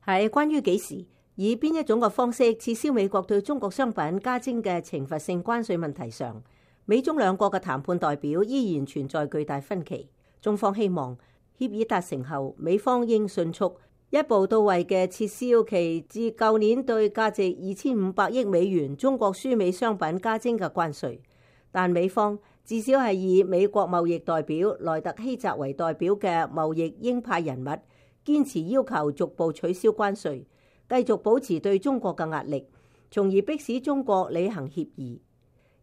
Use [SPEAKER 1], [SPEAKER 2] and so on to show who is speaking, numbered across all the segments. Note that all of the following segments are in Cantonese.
[SPEAKER 1] 係關於幾時以邊一種嘅方式撤銷美國對中國商品加徵嘅懲罰性關稅問題上，美中兩國嘅談判代表依然存在巨大分歧。中方希望協議達成後，美方應迅速一步到位嘅撤銷其自舊年對價值2500億美元中國輸美商品加徵嘅關稅。但美方至少係以美國貿易代表萊特希澤為代表嘅貿易鷹派人物，堅持要求逐步取消關稅，繼續保持對中國嘅壓力，從而迫使中國履行協議。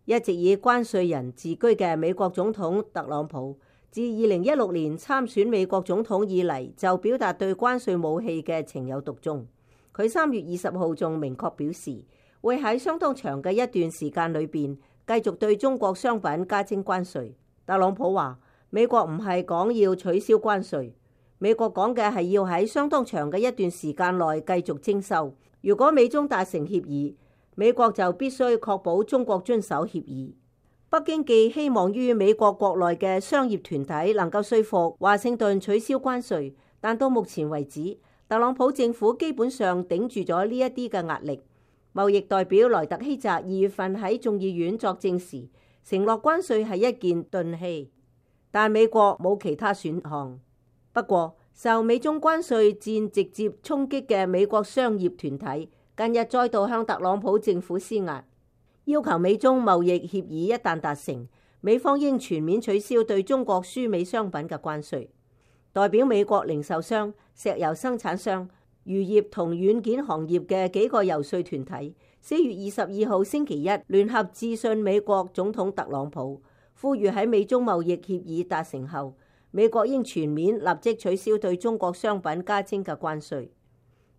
[SPEAKER 1] 一直以關稅人自居嘅美國總統特朗普，自2016年參選美國總統以嚟，就表達對關稅武器嘅情有獨鍾。佢3月20號仲明確表示，會喺相當長嘅一段時間裏邊繼續對中國商品加徵關稅。特朗普話：美國唔係講要取消關稅，美國講嘅係要喺相當長嘅一段時間內繼續徵收。如果美中達成協議，美國就必須確保中國遵守協議。北京既希望於美國國內嘅商業團體能夠說服華盛頓取消關稅，但到目前為止，特朗普政府基本上頂住咗呢一啲嘅壓力。貿易代表萊特希澤2月份喺眾議院作證時，承諾關稅係一件鈍器，但美國冇其他選項。不過，受美中關稅戰直接衝擊嘅美國商業團體近日再度向特朗普政府施壓，要求美中貿易協議一旦達成，美方應全面取消對中國輸美商品嘅關稅。代表美國零售商、石油生產商、漁業同軟件行業嘅幾個遊說團體4月22號星期一聯合致信美國總統特朗普，呼籲喺美中貿易協議達成後，美國應全面立即取消對中國商品加徵嘅關稅。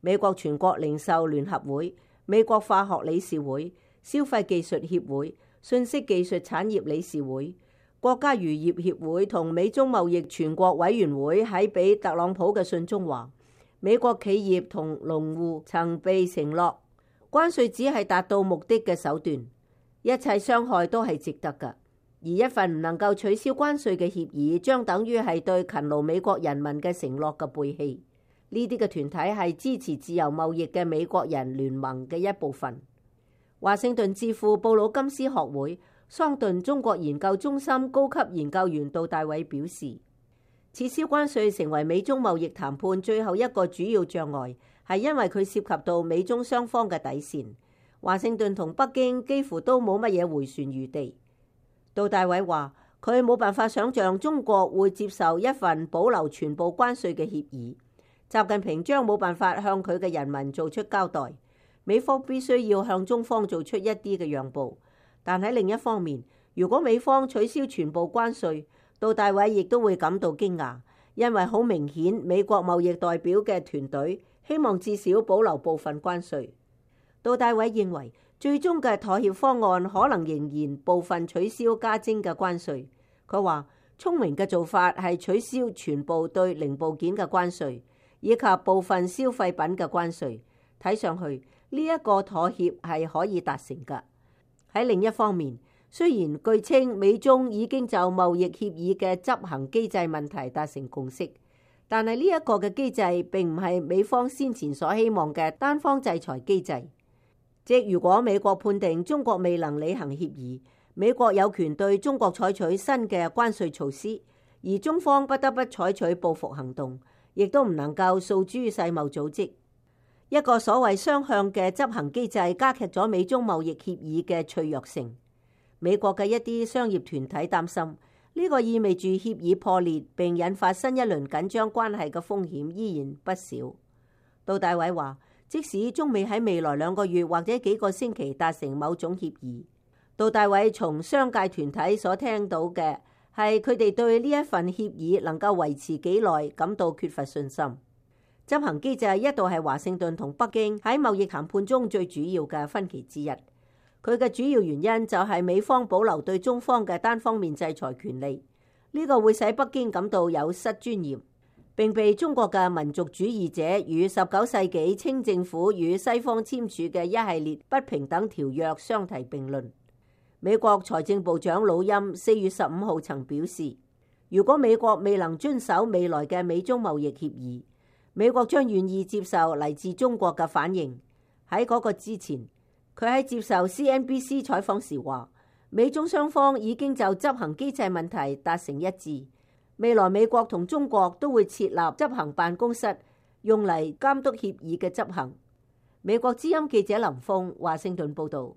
[SPEAKER 1] 美國全國零售聯合會、美國化學理事會、消費技術協會、信息技術產業理事會、國家漁業協會同美中貿易全國委員會喺俾特朗普嘅信中話，美國企業同農戶曾被承諾，關稅只係達到目的嘅手段，一切傷害都係值得㗎。而一份唔能夠取消關稅嘅協議，將等於係對勤勞美國人民嘅承諾嘅背棄。呢啲嘅團體係支持自由貿易嘅美國人聯盟嘅一部分。華盛頓智庫布魯金斯學會桑頓中國研究中心高級研究員杜大偉表示，撤銷關稅成為美中貿易談判最後一個主要障礙，係因為佢涉及到美中雙方嘅底線。華盛頓同北京幾乎都冇乜嘢迴旋餘地。杜大偉話，佢冇辦法想象中國會接受一份保留全部關稅嘅協議。習近平將冇辦法向佢嘅人民做出交代，美方必須要向中方做出一啲嘅讓步。但喺另一方面，如果美方取消全部關稅，杜大偉亦都會感到驚訝，因為好明顯美國貿易代表嘅團隊希望至少保留部分關稅。杜大偉認為，最終嘅妥協方案可能仍然部分取消加徵嘅關稅。佢話，聰明嘅做法係取消全部對零部件嘅關稅，以及部分消費品嘅關稅。睇上去呢一個妥協係可以達成㗎。喺另一方面，雖然據稱美中已經就貿易協議嘅執行機制問題達成共識，但係呢一個嘅機制並唔係美方先前所希望嘅單方制裁機制。即如果美國判定中國未能履行協議，美國有權對中國採取新嘅關稅措施，而中方不得不採取報復行動，亦都唔能夠訴諸世貿組織。一個所謂雙向嘅執行機制加劇咗美中貿易協議嘅脆弱性。美國嘅一啲商業團體擔心，呢個意味住協議破裂並引發新一輪緊張關係嘅風險依然不少。杜大偉話，即使中美喺未來2個月或者幾個星期達成某種協議，杜大偉從商界團體所聽到嘅係佢哋對呢一份協議能夠維持幾耐感到缺乏信心。執行機制一度係華盛頓同北京喺貿易談判中最主要嘅分歧之一。佢嘅主要原因就係美方保留對中方嘅單方面制裁權利，呢個會使北京感到有失尊嚴，並被中國嘅民族主義者與19世紀清政府與西方簽署嘅一系列不平等條約相提並論。美國財政部長魯欽4月15號曾表示，如果美國未能遵守未來嘅美中貿易協議，美國將願意接受嚟自中國嘅反應。喺嗰個之前，佢喺接受 CNBC 採訪時話，美中雙方已經就執行機制問題達成一致，未來美國同中國都會設立執行辦公室，用嚟監督協議嘅執行。美國之音記者林峰華盛頓報道。